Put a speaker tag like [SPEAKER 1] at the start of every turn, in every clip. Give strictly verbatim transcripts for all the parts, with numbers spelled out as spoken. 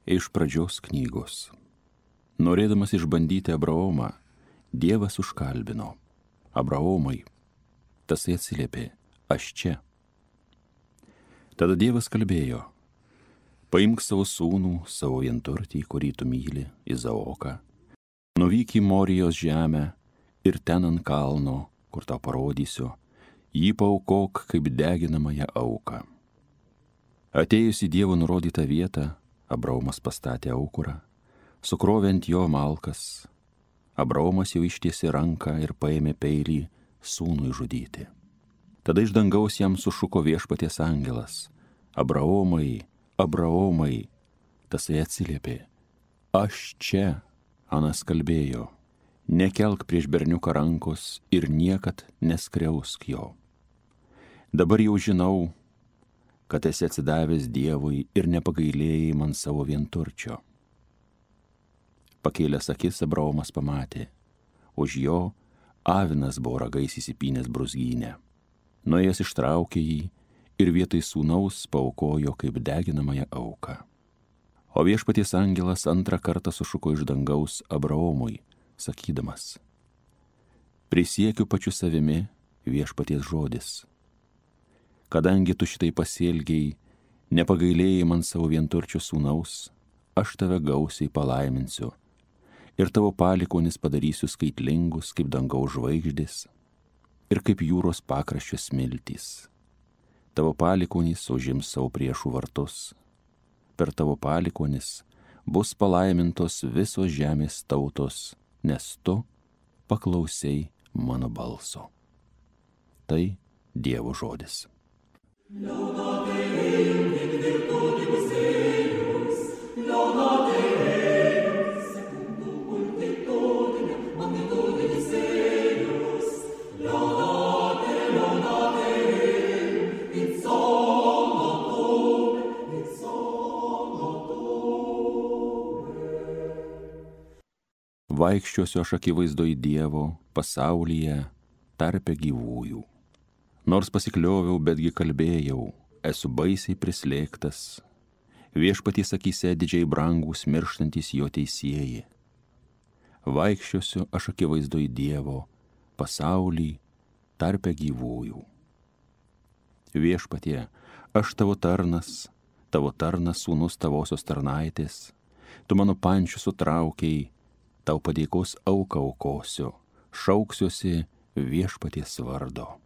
[SPEAKER 1] Iš pradžios knygos. Norėdamas išbandyti Abraomą, Dievas užkalbino. Abraomai, tasai atsiliepė, aš čia. Tada Dievas kalbėjo, paimk savo sūnų, savo vienturtį, kurį tu myli, Izaoką, nuvyk į Morijos žemę ir ten ant kalno, kur tau parodysiu, jį paaukok kaip deginamąją auką. Atėjus į Dievo nurodytą vietą, Abraomas pastatė aukurą, sukrovė ant jo malkas. Abraomas jau ištiesė ranką ir paėmė peilį sūnui žudyti. Tada iš dangaus jam sušuko viešpaties angelas. Abraomai, Abraomai, tasai atsiliepė. Aš čia, Anas kalbėjo, nekelk prieš berniuką rankos ir niekad neskriausk jo. Dabar jau žinau, kad esi atsidavęs Dievui ir nepagailėjai man savo vienturčio. Pakėlęs akis Abraomas pamatė, už jo avinas buvo ragais įsipynęs brūzgynę. Nuėjęs ištraukė jį ir vietoj sūnaus paaukojo kaip deginamąją auką. O viešpaties angelas antrą kartą sušuko iš dangaus Abraomui, sakydamas, prisiekiu pačiu savimi viešpaties žodis. Kadangi tu šitai pasielgiai, nepagailėjai man savo vienturčio sūnaus, aš tave gausiai palaiminsiu ir tavo palikonis padarysiu skaitlingus kaip dangaus žvaigždės ir kaip jūros pakraščio smiltys. Tavo palikonis užims savo priešų vartus. Per tavo palikonis bus palaimintos visos žemės tautos, nes tu paklausei mano balso. Tai Dievo žodis. Laudate Deum in virtutibus eius, laudate Deum secundum multitudinem magnitudinis eius, laudate, laudate Deum in sommatum, in sommatum. Vaikščiosiu aš akivaizdoj Dievo pasaulyje tarpe gyvųjų. Nors pasiklioviau, betgi kalbėjau, esu baisiai prislėgtas. Viešpaties akyse didžiai brangūs mirštantys jo teisieji. Vaikščiosiu aš akivaizdoj Dievo, pasaulį tarpe gyvųjų. Viešpatie, aš tavo tarnas, tavo tarnas sūnus tavosios tarnaitės, tu mano pančių sutraukiai, tau padėkos auką aukosiu, šauksiuosi viešpaties vardo.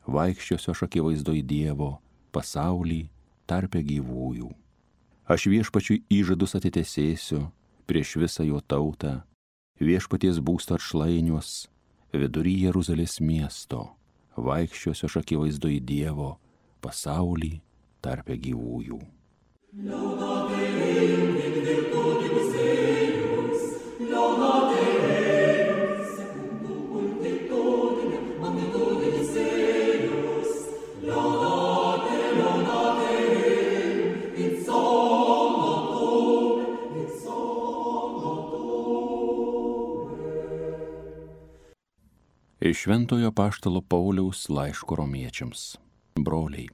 [SPEAKER 1] Vaikščiosiu aš akivaizdoj Dievo, pasaulį tarpe gyvųjų. Aš viešpačiui įžadus atitesėsiu prieš visą jo tautą, viešpaties būsto atšlainiuos, vidury Jeruzalės miesto. Vaikščiosiu aš akivaizdoj Dievo, pasaulį tarpe gyvųjų. Laudate Deum in virtutibus eius, laudate Deum secundum multitudinem magnitudinis eius, laudate, laudate Deum in sommatum, in sommatum. Iš Šventojo apaštalo Pauliaus laiško romiečiams. Broliai,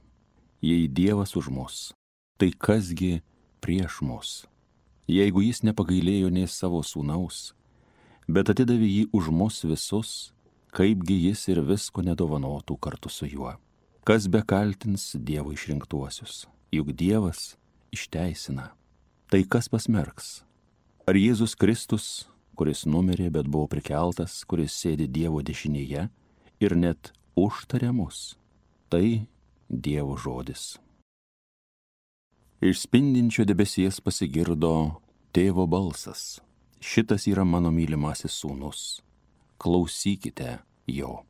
[SPEAKER 1] jei Dievas už mus, tai kasgi prieš mus? Jeigu jis nepagailėjo nei savo sūnaus, bet atidavė jį už mus visus, kaipgi jis ir visko nedovanotų kartu su juo. Kas bekaltins Dievo išrinktuosius, juk Dievas išteisina. Tai kas pasmerks? Ar Jėzus Kristus, kuris numirė, bet buvo prikeltas, kuris sėdi Dievo dešinėje ir net užtarė mus? Tai Dievo žodis. Iš spindinčio debesies pasigirdo tėvo balsas. Šitas yra mano mylimasis sūnus. Klausykite jo.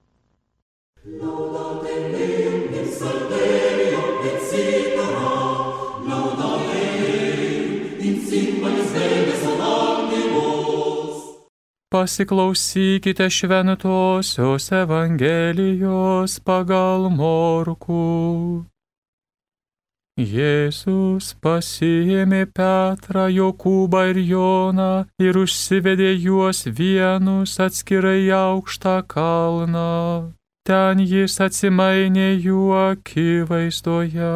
[SPEAKER 1] Laudate Deum in salterio et citara, laudate Deum in cymbalis verbes adantibus.
[SPEAKER 2] Pasiklausykite šventosios Evangelijos pagal Morkų. Jėzus pasiėmė Petrą, Jokūbą ir Joną ir užsivedė juos vienus atskirai į aukštą kalną. Ten jis atsimainė jų akivaizdoje.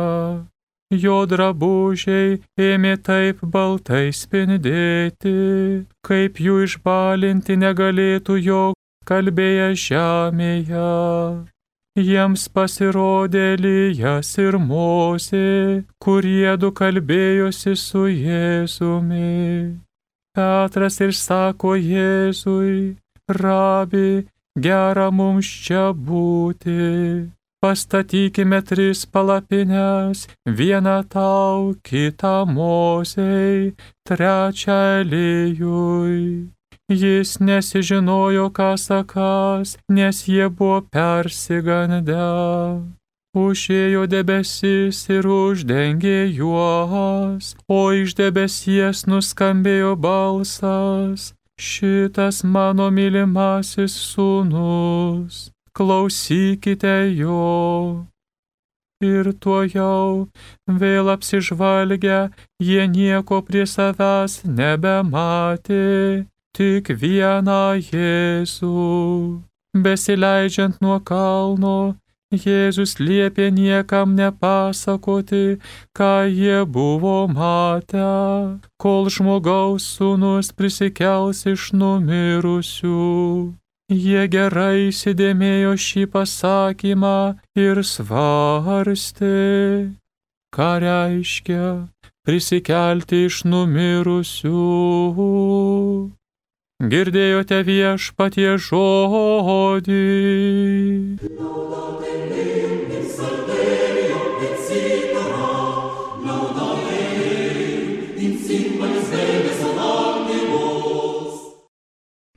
[SPEAKER 2] Jo drabužiai ėmė taip baltai spindėti, kaip jų išbalinti negalėtų jo kalbėję žemėje. Jiems pasirodė Elijas ir Mozė, kurie du kalbėjosi su Jėzumi. Petras ir sako Jėzui: Rabi, gera mums čia būti. Pastatykime tris palapines, vieną tau, kitą Mozei, trečią Elijui. Jis nesižinojo, ką sakas, nes jie buvo persigandę. Užėjo debesis ir uždengė juos, o iš debesies nuskambėjo balsas: Šitas mano mylimasis sūnus, klausykite jo. Ir tuojau, vėl apsižvalgę, jie nieko prie savęs nebematė, tik vieną Jėzų. Besileidžiant nuo kalno, Jėzus liepė niekam nepasakoti, ką jie buvo matę, kol žmogaus sūnus prisikels iš numirusių. Jie gerai įsidėmėjo šį pasakymą ir svarstė, ką reiškia prisikelti iš numirusių. Girdėjote Viešpaties žodį.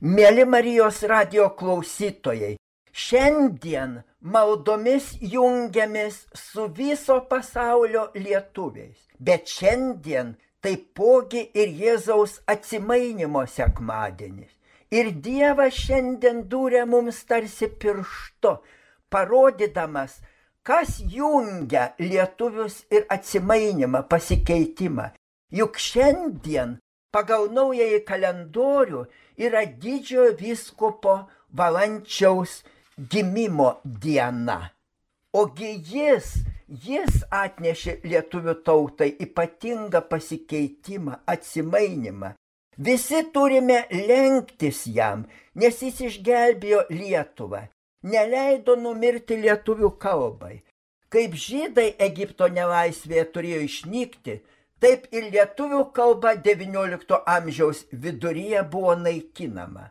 [SPEAKER 3] Mėly Marijos radijo klausytojai, šiandien maldomis jungiamės su viso pasaulio lietuviais, bet šiandien taipogi ir Jėzaus atsimainymo sekmadienis. Ir Dievas šiandien dūrė mums tarsi pirštu, parodydamas, kas jungia lietuvius ir atsimainymą, pasikeitimą. Juk šiandien pagal naująjį kalendorių yra didžiojo vyskupo Valančiaus gimimo diena. Ogi jis, jis atnešė lietuvių tautai ypatingą pasikeitimą, atsimainymą. Visi turime lenktis jam, nes jis išgelbėjo Lietuvą, neleido numirti lietuvių kalbai. Kaip žydai Egipto nelaisvėje turėjo išnykti, taip ir lietuvių kalba devyniolikto amžiaus viduryje buvo naikinama.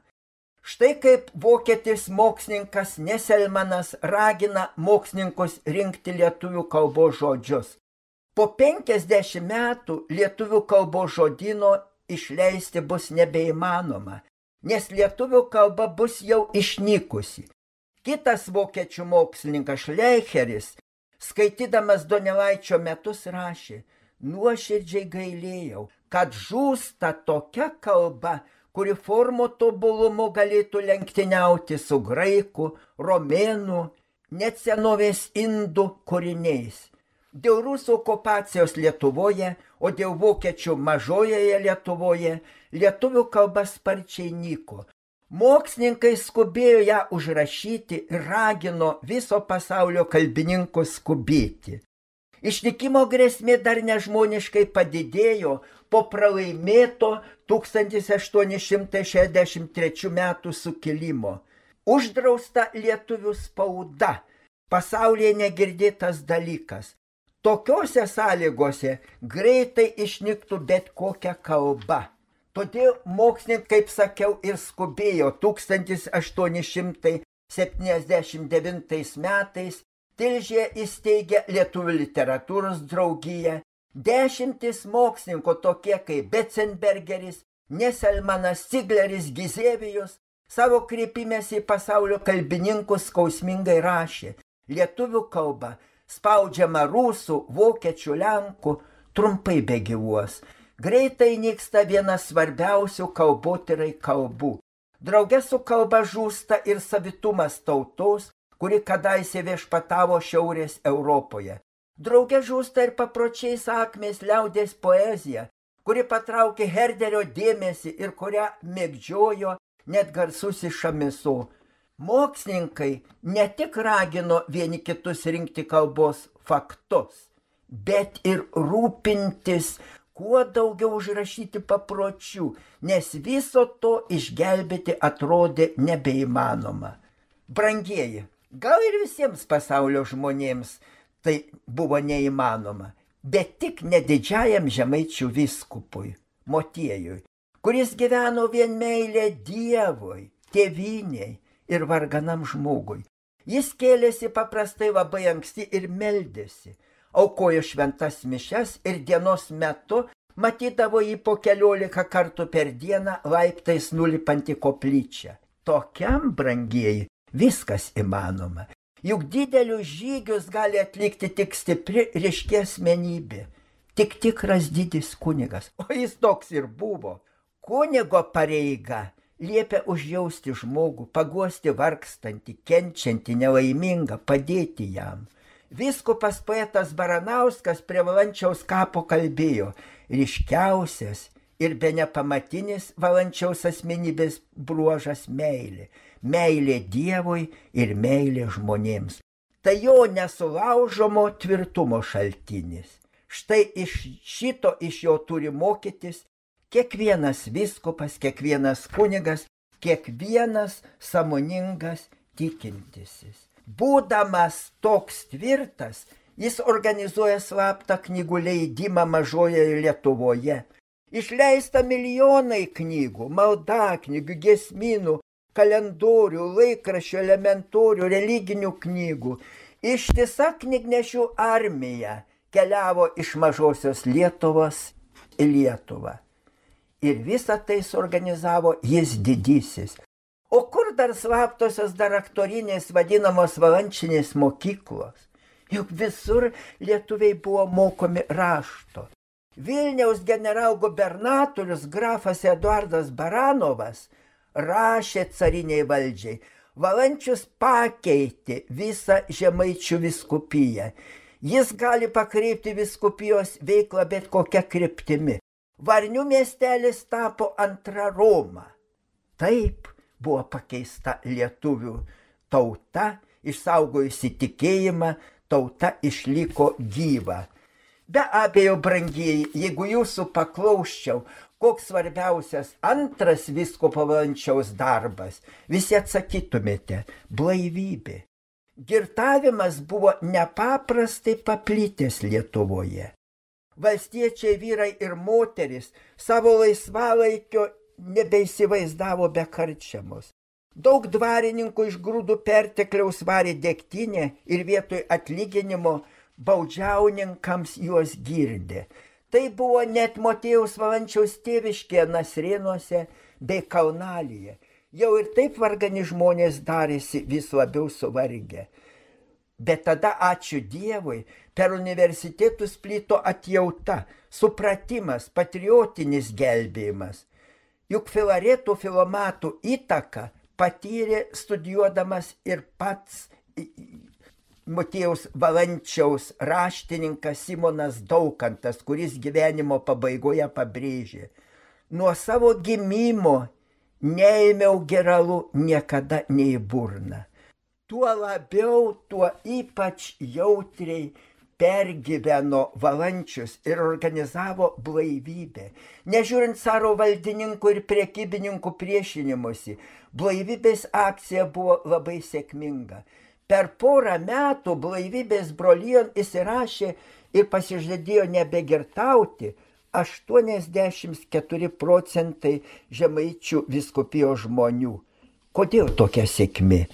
[SPEAKER 3] Štai kaip vokietis mokslininkas Neselmanas ragina mokslininkus rinkti lietuvių kalbos žodžius. Po penkiasdešimt metų lietuvių kalbos žodyno išleisti bus nebeįmanoma, nes lietuvių kalba bus jau išnykusi. Kitas vokiečių mokslininkas Šleicheris, skaitydamas Donelaičio metus, rašė: nuoširdžiai gailėjau, kad žūsta tokia kalba, kuri formų tobulumu galėtų lenktyniauti su graikų, romėnų, net senovės indų kūriniais. Dėl rusų okupacijos Lietuvoje, o dėl vokiečių mažojoje Lietuvoje, lietuvių kalba sparčiai nyko. Mokslininkai skubėjo ją užrašyti ir ragino viso pasaulio kalbininkus skubėti. Išnykimo grėsmė dar nežmoniškai padidėjo po pralaimėto tūkstantis aštuoni šimtai šešiasdešimt trečių metų sukilimo. Uždrausta lietuvių spauda, pasaulyje negirdėtas dalykas. Tokiose sąlygose greitai išnyktų bet kokia kalba. Todėl mokslininkai, kaip sakiau, ir skubėjo tūkstantis aštuoni šimtai septyniasdešimt devintais metais Tilžėje įsteigė Lietuvių literatūros draugiją. Dešimtis mokslininkų tokie kaip Betzenbergeris, Neselmanas, Cigleris, Gizevijus savo kreipimėsi į pasaulio kalbininkus skausmingai rašė: lietuvių kalba spaudžiama rusų, vokiečių, lenkų, trumpai begyvuos. Greitai nyksta vienas svarbiausių kalbotyrai kalbų. Drauge su kalba žūsta ir savitumas tautos, kuri kadaise viešpatavo Šiaurės Europoje. Drauge žūsta ir papročiai sakmės liaudies poezija, kuri patraukė Herderio dėmesį ir kurią mėgdžiojo net garsusis Šamiso. Mokslininkai ne tik ragino vieni kitus rinkti kalbos faktus, bet ir rūpintis, kuo daugiau užrašyti papročių, nes viso to išgelbėti atrodė nebeįmanoma. Brangieji, gal ir visiems pasaulio žmonėms tai buvo neįmanoma, bet tik nedidžiajam žemaičių vyskupui, Motiejui, kuris gyveno vien meilė Dievui, tėvynei ir varganam žmogui. Jis kėlėsi paprastai labai anksti ir meldėsi, aukojo šventas mišes ir dienos metu matydavo jį po keliolika kartų per dieną laiptais nulipant į koplyčią. Tokiam, brangieji, viskas įmanoma. Juk didelius žygius gali atlikti tik stipri ryški asmenybė, tik tikras didis kunigas, o jis toks ir buvo. Kunigo pareiga liepia užjausti žmogų, paguosti vargstantį, kenčiantį, nelaimingą, padėti jam. Vyskupas poetas Baranauskas prie Valančiaus kapo kalbėjo: ryškiausias ir bene pamatinis Valančiaus asmenybės bruožas meilė. Meilė Dievui ir meilė žmonėms. Tai jo nesulaužomo tvirtumo šaltinis. Štai iš šito iš jo turi mokytis kiekvienas vyskupas, kiekvienas kunigas, kiekvienas sąmoningas tikintisis. Būdamas toks tvirtas, jis organizuoja slaptą knygų leidimą mažojoje Lietuvoje. Išleista milijonai knygų, maldaknygių, giesmynų, kalendorių, laikraščių, elementorių, religinių knygų. Ištisa knygnešių armija keliavo iš mažosios Lietuvos į Lietuvą. Ir visą tai suorganizavo jis didysis. O kur dar slaptosios dar aktorinės vadinamos valančinės mokyklos? Juk visur lietuviai buvo mokomi rašto. Vilniaus generalgubernatorius grafas Eduardas Baranovas rašė cariniai valdžiai: Valančius pakeitė visą žemaičių vyskupiją. Jis gali pakreipti vyskupijos veiklą bet kokia kryptimi. Varnių miestelis tapo antra Roma. Taip buvo pakeista lietuvių tauta, išsaugojusi tikėjimą, tauta išliko gyva. Be abejo, brangieji, jeigu jūsų paklausčiau, koks svarbiausias antras vyskupo Valančiaus darbas, visi atsakytumėte: blaivybė. Girtavimas buvo nepaprastai paplitęs Lietuvoje. Valstiečiai vyrai ir moteris savo laisvalaikio nebeįsivaizdavo be karčiamos. Daug dvarininkų iš grūdų pertekliaus varė degtinę ir vietoj atlyginimo baudžiauninkams juos girdė. Tai buvo net Motiejaus Valančiaus tėviškėje Nasrėnuose bei Kaunalyje. Jau ir taip vargani žmonės darėsi vis labiau suvargę. Bet tada, ačiū Dievui, per universitetus plito atjauta, supratimas, patriotinis gelbėjimas. Juk Filaretų Filomatų įtaką patyrė studijuodamas ir pats Motiejaus Valančiaus raštininkas Simonas Daukantas, kuris gyvenimo pabaigoje pabrėžė: nuo savo gimimo neėmiau geralų niekada nei burną. Tuo labiau, tuo ypač jautriai pergyveno Valančius ir organizavo blaivybę. Nežiūrint caro valdininkų ir prekybininkų priešinimusi, blaivybės akcija buvo labai sėkminga. Per porą metų blaivybės brolijon įsirašė ir pasižadėjo nebegirtauti aštuoniasdešimt keturi procentai žemaičių vyskupijos žmonių. Kodėl tokia sėkmė?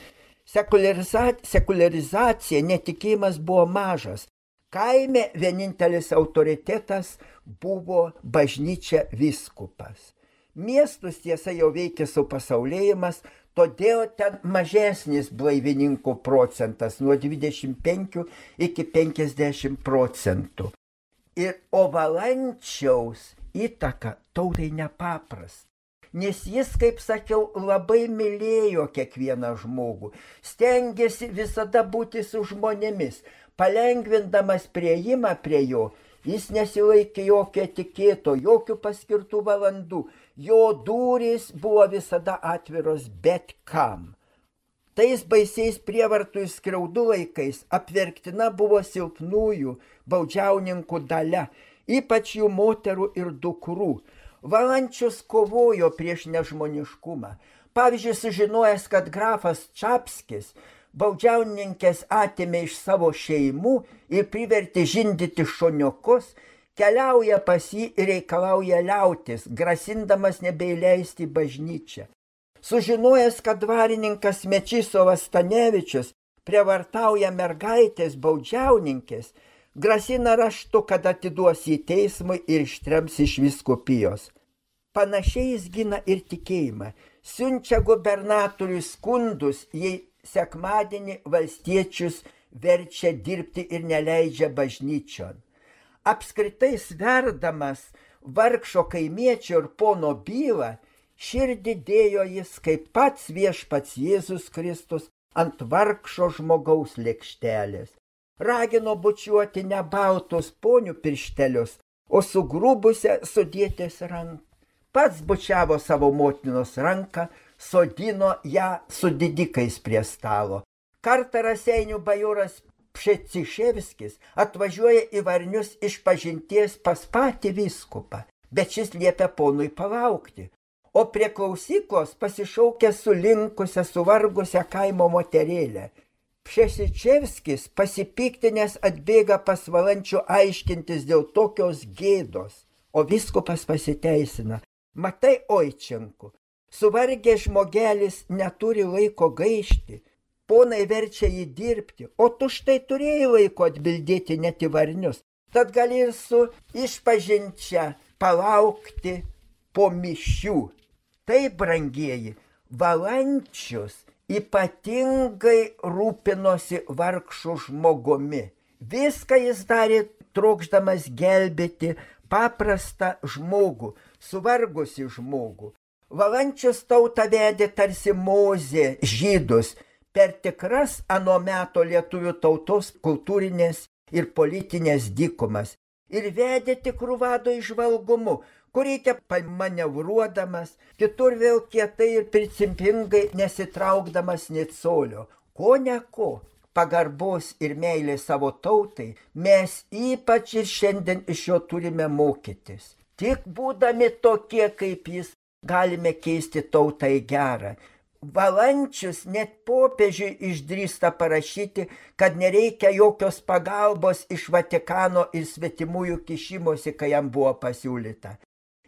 [SPEAKER 3] Sekulariza- sekularizacija, netikėjimas buvo mažas. Kaime vienintelis autoritetas buvo bažnyčia vyskupas. Miestus tiesa jau veikė supasaulėjimas, todėl ten mažesnis blaivininkų procentas nuo dvidešimt penkių iki penkiasdešimt procentų. Ir o Valančiaus įtaka tautai nepaprasta. Nes jis, kaip sakiau, labai mylėjo kiekvieną žmogų, stengėsi visada būti su žmonėmis, palengvindamas priėjimą prie jo, jis nesilaikė jokio etikėto, jokių paskirtų valandų, jo durys buvo visada atviros bet kam. Tais baisiais prievartų ir skriaudų laikais apverktina buvo silpnųjų baudžiauninkų dalia, ypač jų moterų ir dukrų. Valančius kovojo prieš nežmoniškumą. Pavyzdžiui, sužinojęs, kad grafas Čapskis baudžiauninkės atėmė iš savo šeimų ir privertė žindyti šoniukus, keliauja pas jį ir reikalauja liautis, grasindamas nebeįleisti į bažnyčią. Sužinojęs, kad dvarininkas Mečislovas Stanevičius prievartauja mergaitės baudžiauninkės, grasina raštu, kad atiduos į teismui ir ištrems iš vyskupijos. Panašiai jis gina ir tikėjimą. Siunčia gubernatoriui skundus, jei sekmadienį valstiečius verčia dirbti ir neleidžia bažnyčion. Apskritai sverdamas vargšo kaimiečio ir pono bylą, širdį dėjo jis kaip pats viešpats Jėzus Kristus ant vargšo žmogaus lėkštelės. Ragino bučiuoti ne baltus ponių pirštelius, o sugrubusią sudėtės ranką. Pats bučiavo savo motinos ranką, sodino ją su didikais prie stalo. Kartą Raseinių bajoras Pšeciševskis atvažiuoja į Varnius iš pažinties pas patį vyskupą, bet šis liepia ponui palaukti. O prie klausyklos pasišaukia sulinkusią, suvargusią kaimo moterėlę. Pšeciševskis pasipiktinęs atbėga pas Valančių aiškintis dėl tokios gėdos, o vyskupas pasiteisina. Matai, oičenku, suvargęs žmogelis neturi laiko gaišti, ponai verčia jį dirbti, o tu štai turėjai laiko atbildėti net į Varnius. Tad gali ir su išpažinčia palaukti po mišių. Tai, brangieji, Valančius ypatingai rūpinosi vargšų žmogumi. Viską jis darė trokšdamas gelbėti paprastą žmogų, suvargusi žmogų. Valančius tautą vedė tarsi Mozė žydus per tikras ano meto lietuvių tautos kultūrinės ir politinės dykumas ir vedė tikrų vado įžvalgumu, kur reikia pamanevruodamas, kitur vėl kietai ir principingai nesitraukdamas nė colio. Ko ne ko, pagarbos ir meilės savo tautai mes ypač ir šiandien iš jo turime mokytis. Tik būdami tokie kaip jis, galime keisti tautą į gerą. Valančius net popiežiui išdrįsta parašyti, kad nereikia jokios pagalbos iš Vatikano ir svetimųjų kišimosi, kai jam buvo pasiūlyta.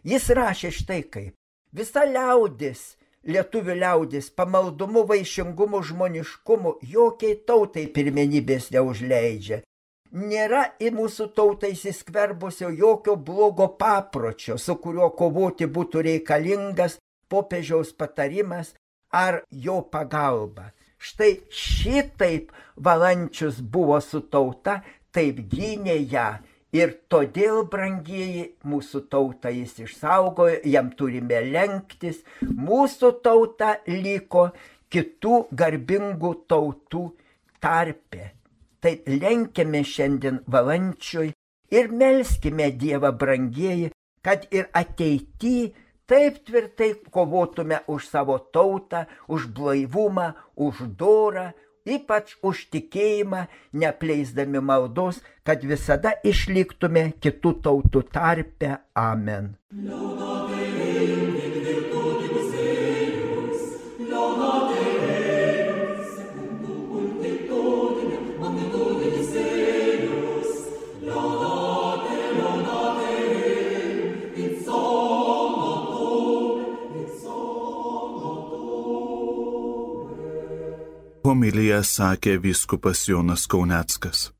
[SPEAKER 3] Jis rašė štai kaip: visa liaudis, lietuvių liaudis, pamaldumu, vaišingumu, žmoniškumu jokiai tautai pirmenybės neužleidžia. Nėra į mūsų tautą įsiskverbusio jokio blogo papročio, su kuriuo kovoti būtų reikalingas popiežiaus patarimas ar jo pagalba. Štai šitaip Valančius buvo su tauta, taip gynė ją. Ir todėl, brangieji, mūsų tautą jis išsaugojo, jam turime lenktis. Mūsų tauta liko kitų garbingų tautų tarpe. Tai lenkime šiandien Valančiui ir melskime Dievą, brangieji, kad ir ateityje taip tvirtai kovotume už savo tautą, už blaivumą, už dorą, ypač už tikėjimą, neapleisdami maldos, kad visada išliktume kitų tautų tarpe. Amen.
[SPEAKER 4] Homiliją sakė vyskupas Jonas Kauneckas.